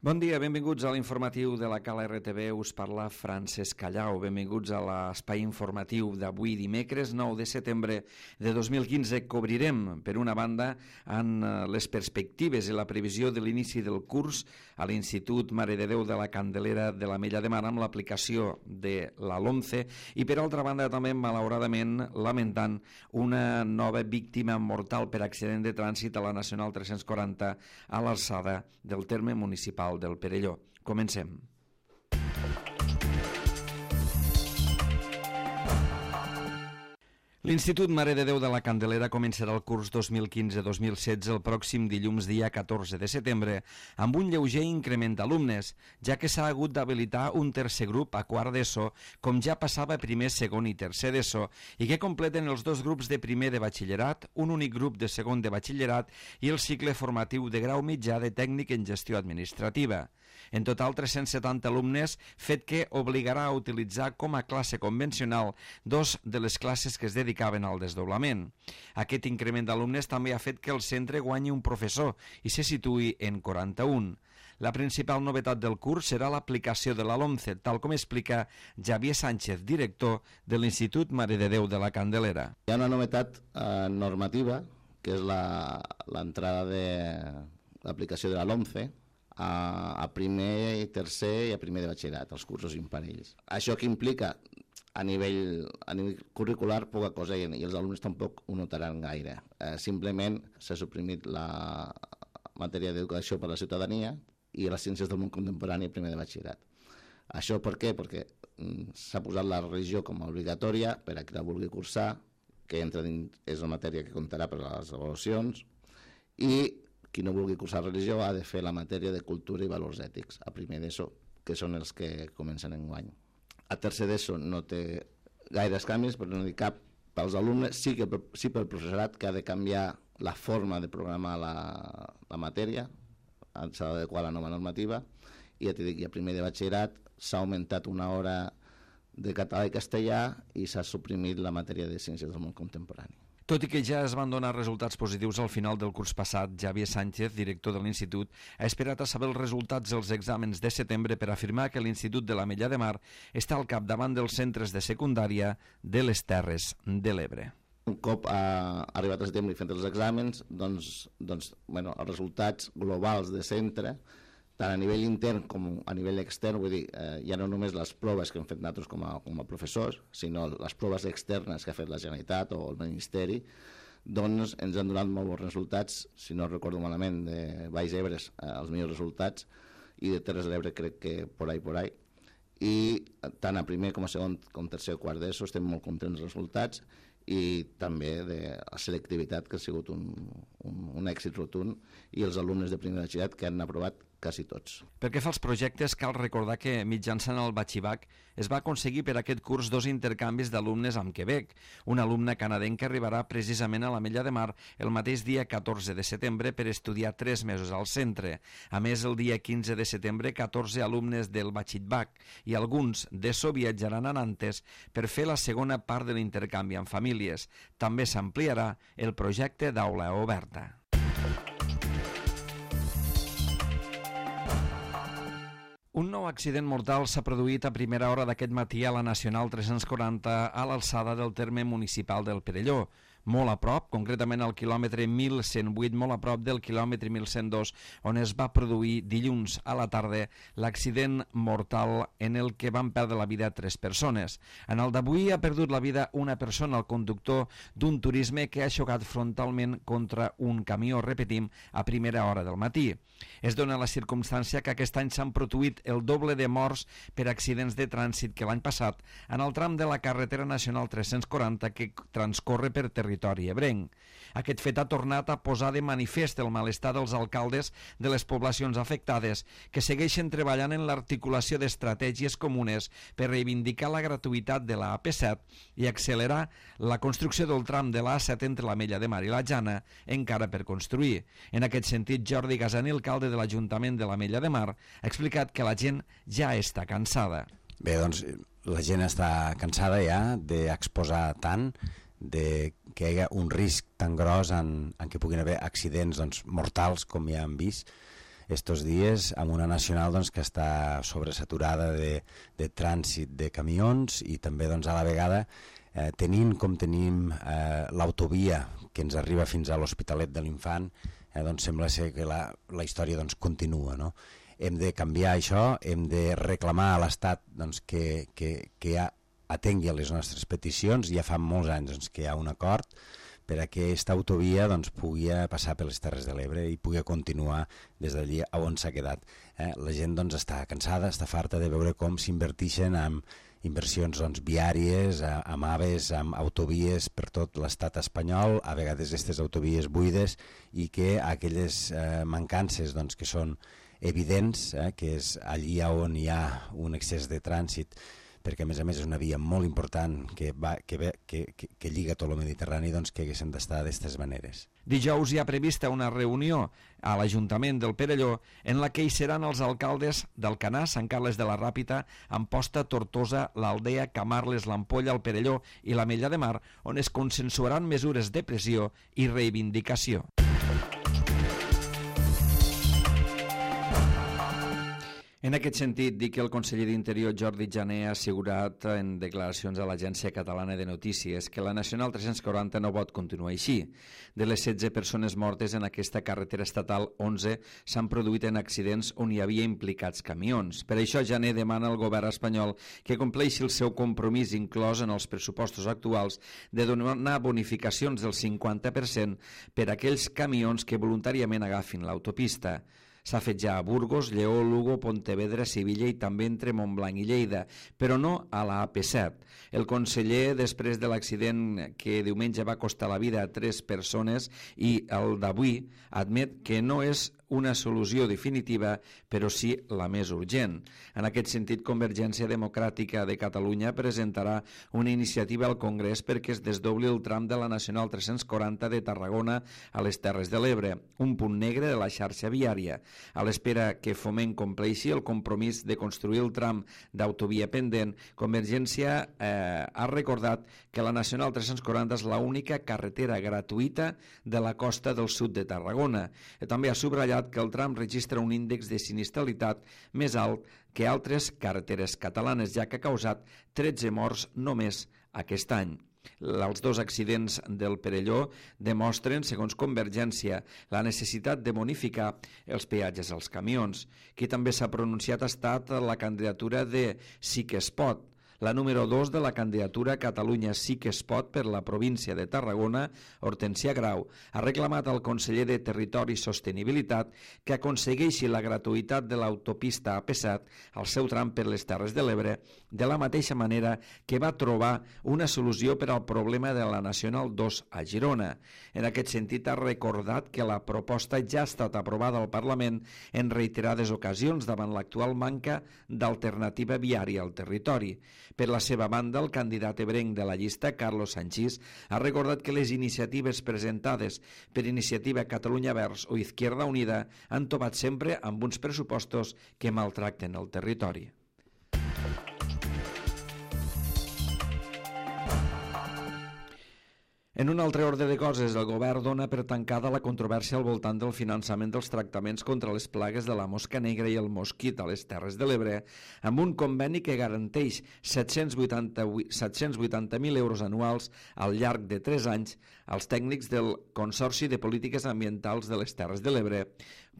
Bon dia, benvinguts a l'informatiu de la Cala RTV. Us parla Francesc Callau. Benvinguts a l'espai informatiu d'avui dimecres 9 de setembre de 2015. Cobrirem, per una banda, en les perspectives i la previsió de l'inici del curs a l'Institut Mare de Déu de la Candelera de l'Ametlla de Mar amb l'aplicació de la LOMCE i, per altra banda, també, malauradament, lamentant una nova víctima mortal per accident de trànsit a la Nacional 340 a l'alçada del terme municipal del Perelló. Comencem. L'Institut Mare de Déu de la Candelera començarà el curs 2015-2016 el pròxim dilluns dia 14 de setembre amb un lleuger increment d'alumnes, ja que s'ha hagut d'habilitar un tercer grup a quart d'ESO, com ja passava a primer, segon i tercer d'ESO, i que completen els dos grups de primer de batxillerat, un únic grup de segon de batxillerat i el cicle formatiu de grau mitjà de tècnic en gestió administrativa. En total, 370 alumnes, fet que obligarà a utilitzar com a classe convencional dos de les classes que es dedicaven al desdoblament. Aquest increment d'alumnes també ha fet que el centre guanyi un professor i se situï en 41. La principal novetat del curs serà l'aplicació de la LOMCE, tal com explica Javier Sánchez, director de l'Institut Mare de Déu de la Candelera. Hi ha una novetat normativa, que és l'entrada de l'aplicació de la LOMCE a primer i tercer i a primer de batxillerat, els cursos imparells. Això que implica a nivell curricular poca cosa i els alumnes tampoc ho notaran gaire. Simplement s'ha suprimit la matèria d'educació per a la ciutadania i les ciències del món contemporani a primer de batxillerat. Això per què? Perquè s'ha posat la religió com a obligatòria per a qui la vulgui cursar, que entra dins, és una matèria que comptarà per a les avaluacions, i qui no vulgui cursar religió ha de fer la matèria de cultura i valors ètics a primer d'ESO, que són els que comencen enguany. A tercer d'ESO no té gaires canvis, però no dir cap pels alumnes, sí pel professorat, que ha de canviar la forma de programar la matèria, s'ha d'adequar a la nova normativa, i ja t'he dit que a primer de batxillerat s'ha augmentat una hora de català i castellà i s'ha suprimit la matèria de ciències del món contemporani. Tot i que ja es van donar resultats positius al final del curs passat, Javier Sánchez, director de l'Institut, ha esperat a saber els resultats dels exàmens de setembre per afirmar que l'Institut de l'Ametlla de Mar està al capdavant dels centres de secundària de les Terres de l'Ebre. Un cop ha arribat a setembre i fent els exàmens, els resultats globals de centre, tant a nivell intern com a nivell extern, vull dir, ja no només les proves que hem fet nosaltres com a professors, sinó les proves externes que ha fet la Generalitat o el Ministeri, doncs ens han donat molt bons resultats, si no recordo malament, de Baix Ebre els millors resultats, i de Terres de l'Ebre crec que por ahí. I tant a primer com a segon com tercer o quart d'ESO estem molt contents dels resultats, i també de la selectivitat, que ha sigut un èxit rotund, i els alumnes de primer batxillerat que han aprovat quasi tots. Pel que fa als projectes, cal recordar que mitjançant el Batxibac es va aconseguir per aquest curs 2 intercanvis d'alumnes amb Quebec. Una alumna canadenca arribarà precisament a l'Ametlla de Mar el mateix dia 14 de setembre per estudiar 3 mesos al centre. A més, el dia 15 de setembre, 14 alumnes del Batxibac i alguns d'ESO viatjaran a Nantes per fer la segona part de l'intercanvi amb famílies. També s'ampliarà el projecte d'aula oberta. Un nou accident mortal s'ha produït a primera hora d'aquest matí a la Nacional 340 a l'alçada del terme municipal del Perelló, molt a prop, concretament al quilòmetre 1108, molt a prop del quilòmetre 1102, on es va produir dilluns a la tarda l'accident mortal en el que van perdre la vida 3 persones. En el d'avui ha perdut la vida una persona, el conductor d'un turisme que ha xocat frontalment contra un camió, repetim, a primera hora del matí. Es dona la circumstància que aquest any s'han produït el doble de morts per accidents de trànsit que l'any passat en el tram de la carretera nacional 340 que transcorre per territori ebrenc. Aquest fet ha tornat a posar de manifest el malestar dels alcaldes de les poblacions afectades, que segueixen treballant en l'articulació d'estratègies comunes per reivindicar la gratuïtat de la AP7 i accelerar la construcció del tram de la A7 entre l'Ametlla de Mar i la Jana, encara per construir. En aquest sentit, Jordi Gassani, alcalde de l'Ajuntament de l'Ametlla de Mar, ha explicat que la gent ja està cansada. Bé, doncs la gent està cansada ja d'exposar tant, de que hi hagi un risc tan gros en què puguin haver accidents mortals com ja hem vist. estos dies amb una nacional doncs, que està sobresaturada de trànsit de camions i també doncs, a la vegada tenint com tenim l'autovia que ens arriba fins a l'Hospitalet de l'Infant, doncs sembla ser que la història doncs, continua, no? Hem de canviar això, hem de reclamar a l'Estat doncs, que atengui a les nostres peticions. Ja fa molts anys doncs, que hi ha un acord per a que aquesta autovia doncs, pugui passar per les Terres de l'Ebre i pugui continuar des d'allí on s'ha quedat. La gent doncs, està cansada, està farta de veure com s'inverteixen en inversions doncs, viàries, amb AVEs, amb autovies per tot l'estat espanyol, a vegades aquestes autovies buides, i que aquelles mancances doncs, que són evidents, que és allí on hi ha un excés de trànsit, perquè a més és una via molt important que lliga tot el Mediterrani, doncs que haguessin d'estar d'aquestes maneres. Dijous hi ha prevista una reunió a l'Ajuntament del Perelló en la que hi seran els alcaldes d'Alcanar, Sant Carles de la Ràpita, Amposta, Tortosa, l'Aldea, Camarles, l'Ampolla, el Perelló i l'Ametlla de Mar, on es consensuaran mesures de pressió i reivindicació. En aquest sentit, dic que el conseller d'Interior, Jordi Jané, ha assegurat en declaracions a l'Agència Catalana de Notícies que la Nacional 340 no pot continuar així. De les 16 persones mortes en aquesta carretera estatal, 11 s'han produït en accidents on hi havia implicats camions. Per això, Jané demana al govern espanyol que compleixi el seu compromís inclòs en els pressupostos actuals de donar bonificacions del 50% per a aquells camions que voluntàriament agafin l'autopista. S'ha fet ja a Burgos, Lleó, Lugo, Pontevedra, Sevilla i també entre Montblanc i Lleida, però no a la AP7. El conseller, després de l'accident que diumenge va costar la vida a 3 persones i el d'avui, admet que no és una solució definitiva, però sí la més urgent. En aquest sentit, Convergència Democràtica de Catalunya presentarà una iniciativa al Congrés perquè es desdobli el tram de la Nacional 340 de Tarragona a les Terres de l'Ebre, un punt negre de la xarxa viària. A l'espera que Foment compleixi el compromís de construir el tram d'autovia pendent, Convergència ha recordat que la Nacional 340 és l'única carretera gratuïta de la costa del sud de Tarragona. També ha subratllat que el tram registra un índex de sinistralitat més alt que altres carreteres catalanes, ja que ha causat 13 morts només aquest any. Els 2 accidents del Perelló demostren, segons Convergència, la necessitat de bonificar els peatges als camions. Qui també s'ha pronunciat ha estat la candidatura de Sí que es pot. La número 2 de la candidatura Catalunya Sí que es pot per la província de Tarragona, Hortensia Grau, ha reclamat al conseller de Territori i Sostenibilitat que aconsegueixi la gratuïtat de l'autopista AP7 al seu tram per les Terres de l'Ebre, de la mateixa manera que va trobar una solució per al problema de la Nacional 2 a Girona. En aquest sentit, ha recordat que la proposta ja ha estat aprovada al Parlament en reiterades ocasions davant l'actual manca d'alternativa viària al territori. Per la seva banda, el candidat ebrenc de la llista, Carlos Sanchís, ha recordat que les iniciatives presentades per Iniciativa Catalunya Verds o Izquierda Unida han topat sempre amb uns pressupostos que maltracten el territori. En un altre ordre de coses, el govern dona per tancada la controvèrsia al voltant del finançament dels tractaments contra les plagues de la mosca negra i el mosquit a les Terres de l'Ebre, amb un conveni que garanteix 780.000 euros anuals al llarg de 3 anys als tècnics del Consorci de Polítiques Ambientals de les Terres de l'Ebre,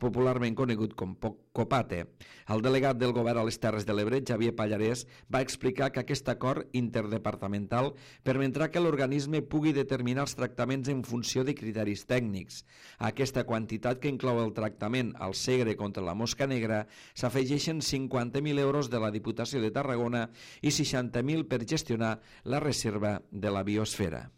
popularment conegut com COPATE. El delegat del govern a les Terres de l'Ebre, Xavier Pallarès, va explicar que aquest acord interdepartamental permetrà que l'organisme pugui determinar els tractaments en funció de criteris tècnics. A aquesta quantitat, que inclou el tractament al segre contra la mosca negra, s'afegeixen 50.000 euros de la Diputació de Tarragona i 60.000 per gestionar la reserva de la biosfera.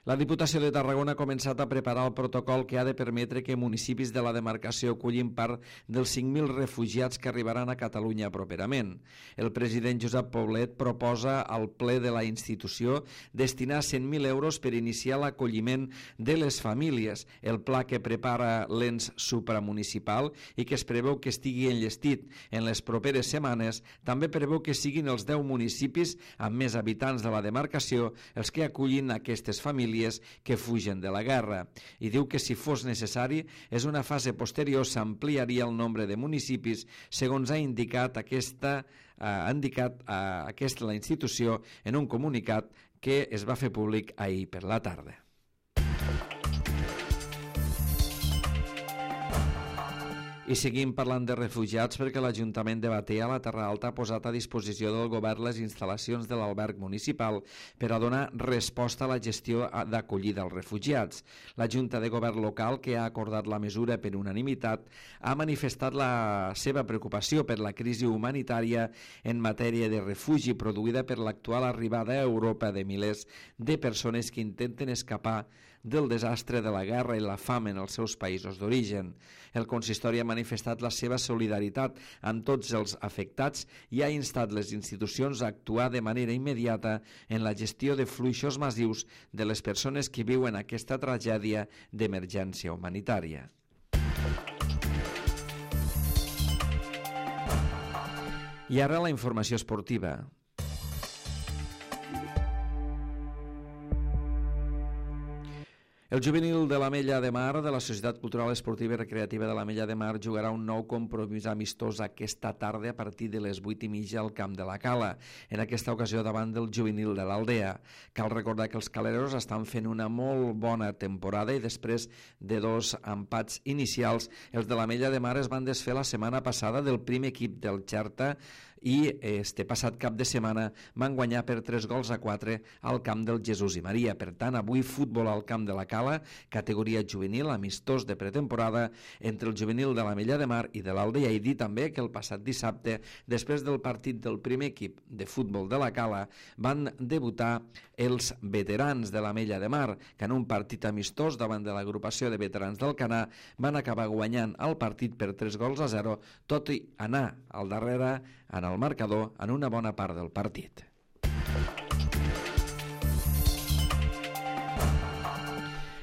La Diputació de Tarragona ha començat a preparar el protocol que ha de permetre que municipis de la demarcació acullin part dels 5.000 refugiats que arribaran a Catalunya properament. El president Josep Poblet proposa al ple de la institució destinar 100.000 euros per iniciar l'acolliment de les famílies. El pla que prepara l'ens supramunicipal i que es preveu que estigui enllestit en les properes setmanes també preveu que siguin els 10 municipis amb més habitants de la demarcació els que acullin aquestes famílies famílies que fugen de la guerra. I diu que si fos necessari, és una fase posterior, s'ampliaria el nombre de municipis, segons ha indicat la institució en un comunicat que es va fer públic ahir per la tarda. I seguim parlant de refugiats perquè l'Ajuntament de Batea, la Terra Alta, ha posat a disposició del govern les instal·lacions de l'alberg municipal per a donar resposta a la gestió d'acollida als refugiats. La Junta de Govern local, que ha acordat la mesura per unanimitat, ha manifestat la seva preocupació per la crisi humanitària en matèria de refugi produïda per l'actual arribada a Europa de milers de persones que intenten escapar del desastre de la guerra i la fam en els seus països d'origen. El consistori ha manifestat la seva solidaritat amb tots els afectats i ha instat les institucions a actuar de manera immediata en la gestió de fluixos massius de les persones que viuen aquesta tragèdia d'emergència humanitària. I ara la informació esportiva. El juvenil de l'Ametlla de Mar de la Societat Cultural Esportiva i Recreativa de l'Ametlla de Mar jugarà un nou compromís amistós aquesta tarda a partir de les 8:30 al camp de la Cala, en aquesta ocasió davant del juvenil de l'Aldea. Cal recordar que els caleros estan fent una molt bona temporada i després de 2 empats inicials, els de l'Ametlla de Mar es van desfer la setmana passada del primer equip del Xerta i este passat cap de setmana van guanyar per 3-4 al camp del Jesús i Maria. Per tant, avui futbol al camp de la Cala, categoria juvenil, amistós de pretemporada entre el juvenil de l'Ametlla de Mar i de l'Aldea. I dir també que el passat dissabte, després del partit del primer equip de futbol de la Cala, van debutar els veterans de l'Ametlla de Mar, que en un partit amistós davant de l'agrupació de veterans del Canà van acabar guanyant el partit per 3-0, tot i anar al darrere en el marcador en una bona part del partit.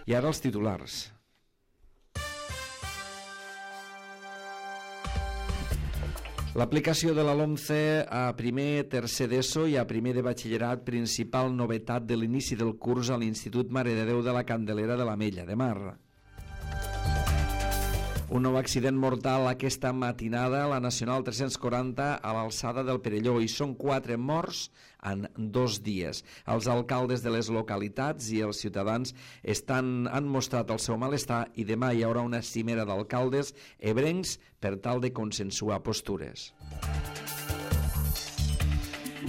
I ara els titulars. L'aplicació de la LOMCE a primer, tercer d'ESO i a primer de batxillerat, principal novetat de l'inici del curs a l'Institut Mare de Déu de la Candelera de l'Ametlla de Mar. Un nou accident mortal aquesta matinada a la Nacional 340 a l'alçada del Perelló i són 4 morts en 2 dies. Els alcaldes de les localitats i els ciutadans han mostrat el seu malestar i demà hi haurà una cimera d'alcaldes ebrencs per tal de consensuar postures.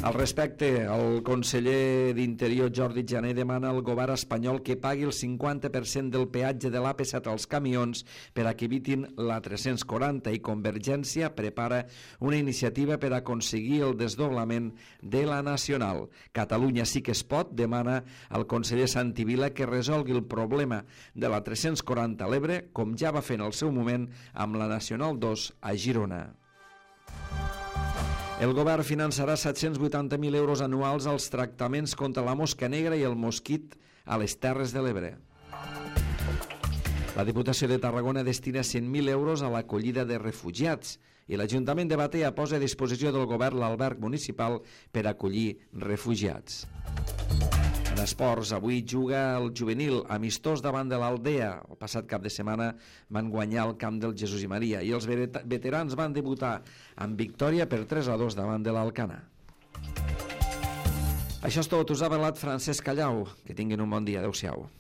Al respecte, el conseller d'Interior Jordi Jané demana al govern espanyol que pagui el 50% del peatge de l'AP7 als camions per a que evitin la 340 i Convergència prepara una iniciativa per aconseguir el desdoblament de la Nacional. Catalunya sí que es pot demana al conseller Santi Vila que resolgui el problema de la 340 a l'Ebre, com ja va fer en el seu moment amb la Nacional 2 a Girona. El govern finançarà 780.000 euros anuals als tractaments contra la mosca negra i el mosquit a les Terres de l'Ebre. La Diputació de Tarragona destina 100.000 euros a l'acollida de refugiats i l'Ajuntament de Batea posa a disposició del govern l'alberg municipal per acollir refugiats. En esports, avui juga el juvenil amistós davant de l'Aldea. El passat cap de setmana van guanyar el camp del Jesús i Maria i els veterans van debutar amb victòria per 3-2 davant de l'Alcana. Això és tot. Us ha parlat Francesc Callau. Que tinguin un bon dia. Adéu-siau.